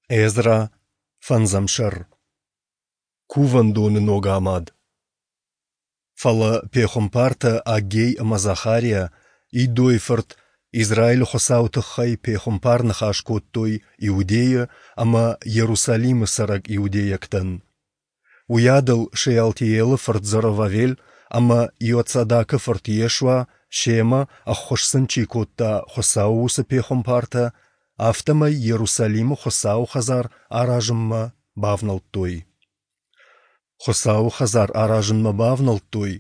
Эзра, фӕндзӕм сӕр. Кувӕндоны ног амад. Фӕлӕ пехуымпартӕ Аггей ӕмӕ Захариа, Иддойы фырт, Израилы Хуыцауы тыххӕй пехуымпар ныхас кодтой Иудейы ӕмӕ Иерусалимы цӕрӕг иудейӕгтӕн. Уыйадыл Шеалтиелы фырт Зоровавел ӕмӕ Иоцадакы фырт Йешуа семӕ, ӕххуыс сын чи кодта, Хуыцауы уыцы пехуымпартӕ, афтӕмӕй Иерусалимы Хуыцауы хӕдзар аразынмӕ бавнӕлдтой. Хуыцауы хӕдзар аразынмӕ бавнӕлдтой,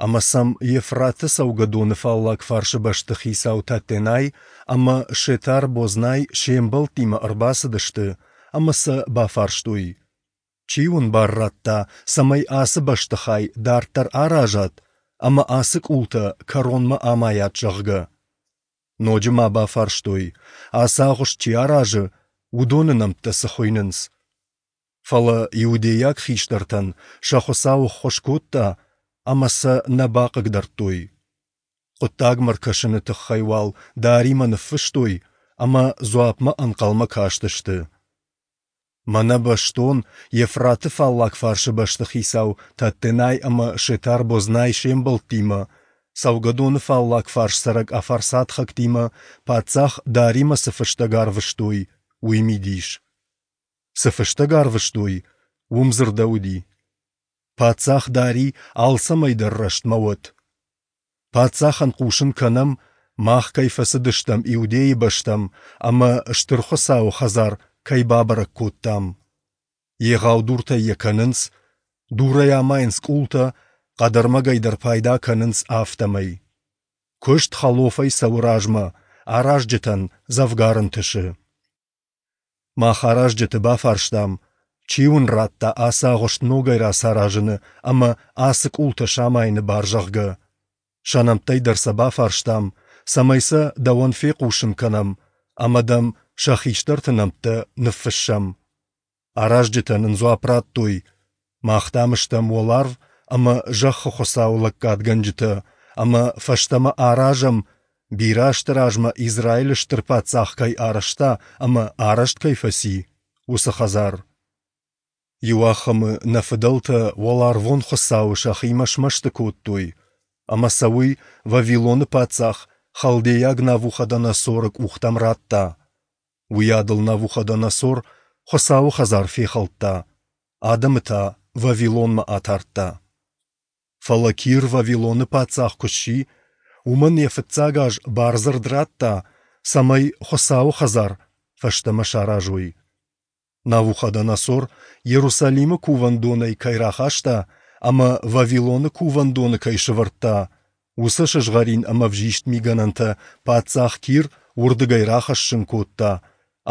ӕмӕ сӕм Евфраты цӕугӕдоны фаллаг фарсы бӕстыхицау Таттенай ӕмӕ Шетар-Бознай се мбӕлттимӕ ӕрбацыдысты ӕмӕ сӕ бафарстой: Чи уын бар радта, цӕмӕй ацы бӕстыхай дарддӕр аразат ӕмӕ ацы къултӕ кӕронмӕ амайат, зӕгъгӕ? Ноджы ма бафарстой, ацы агъуыст чи аразы, уыдоны нӕмттӕ цы хуыйнынц. Фӕлӕ иудейаг хистӕртӕн сӕ Хуыцау ӕххуыс кодта ӕмӕ сӕ нӕ бахъыгдардтой. Хъуыддагмӕ ркӕсыны тыххӕй уал Даримӕ ныффыстой ӕмӕ дзуапмӕ ӕнхъӕлмӕ кастысты. Мӕнӕ бӕстон Евфраты фаллаг фарсы бӕстыхицау Таттенай ӕмӕ Шетар-Бознай се мбӕлттимӕ, цӕугӕдоны фаллаг фарс цӕрӕг афарсатхӕгтимӕ паддзах Даримӕ цы фыстӕг арвыстой, уый мидис. Цы фыстӕг арвыстой, уым дзырдӕуыди: Паддзах Дари алцӕмӕй дӕр рӕстмӕ уӕд. Паддзахӕн хъусын кӕнӕм, мах кӕй фӕцыдыстӕм Иудейы бӕстӕм ӕмӕ Стыр Хуыцауы хӕдзар кӕй бабӕрӕг кодтам. Егъау дуртӕй йӕ кӕнынц, дурӕй амайынц къултӕ, хъӕдӕрмӕгӕй дӕр пайда кӕнынц афтӕмӕй. Куыст хӕлофӕй цӕуы размӕ, аразджытӕн дзӕвгар ӕнтысы. Мах аразджыты бафарстам, чи уын радта ацы агъуыст ногӕй рацаразыны ӕмӕ ацы къултӕ самайыны бар, зӕгъгӕ. Сӕ нӕмттӕй дӕр сӕ бафарстам, цӕмӕй сӕ дӕуӕн фехъусын кӕнӕм ӕмӕ дӕм сӕ хистӕрты нӕмттӕ ныффыссӕм. Аразджытӕ нын дзуапп радтой: Мах, дам, стӕм уӕларв ӕмӕ зӕххы Хуыцауы лӕггадгӕнджытӕ ӕмӕ фӕстӕмӕ аразӕм, бирӕ азты размӕ Израилы стыр паддзах кӕй арӕзта ӕмӕ арӕзт кӕй фӕци, уыцы хӕдзар. Иуахӕмы нӕ фыдӕлтӕ уӕларвон Хуыцауы сӕхимӕ смӕсты кодтой, ӕмӕ сӕ уый Вавилоны паддзах халдейаг Навуходоносоры къухтӕм радта. Уыйадыл Навуходоносор Хуыцауы хӕдзар фехӕлдта, адӕмы та Вавилонмӕ атардта. Фӕлӕ Кир Вавилоны паддзах куы сси, уымӕн йӕ фыццаг аз бардзырд радта, цӕмӕй Хуыцауы хӕдзар фӕстӕмӕ саразой. Навуходоносор Иерусалимы кувӕндонӕй кӕй рахаста ӕмӕ Вавилоны кувӕндоны кӕй сӕвӕрдта, уыцы сызгъӕрин ӕмӕ ӕвзист мигӕнӕнтӕ паддзах Кир уырдыгӕй рахӕссын кодта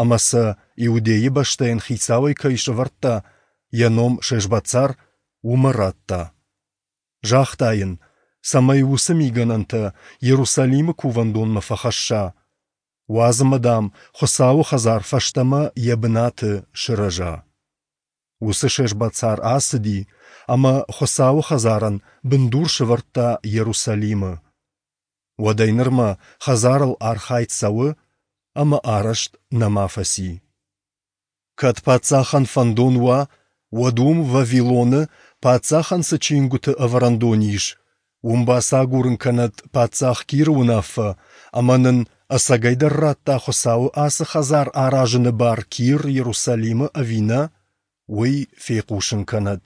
ӕмӕ сӕ Иудейы бӕстӕйӕн хицауӕй кӕй сӕвӕрдта, йӕ ном Шешбацар, уымӕ радта. Загъта йын, цӕмӕй уыцы мигӕнӕнтӕ Иерусалимы кувӕндонмӕ фӕхӕсса. Уадз ӕмӕ, дам, Хуыцауы хӕдзар фӕстӕмӕ йӕ бынаты сырӕза. Уыцы Шешбацар ацыди ӕмӕ Хуыцауы хӕдзарӕн бындур сӕвӕрдта Иерусалимы. Уӕдӕй нырмӕ хӕдзарыл архайд цӕуы ӕмӕ арӕзт нӕма фӕци. Кӕд паддзахӕн фӕндон уа, уӕд уым, Вавилоны, паддзахӕн цы чингуыты ӕвӕрӕндон ис, уым бацагурын кӕнӕд паддзах Киры уынаффӕ ӕмӕ нын ӕцӕгӕйдӕр радта Хуыцауы ацы хӕдзар аразыны бар Кир Иерусалимы ӕви нӕ, уый фехъусын кӕнӕд.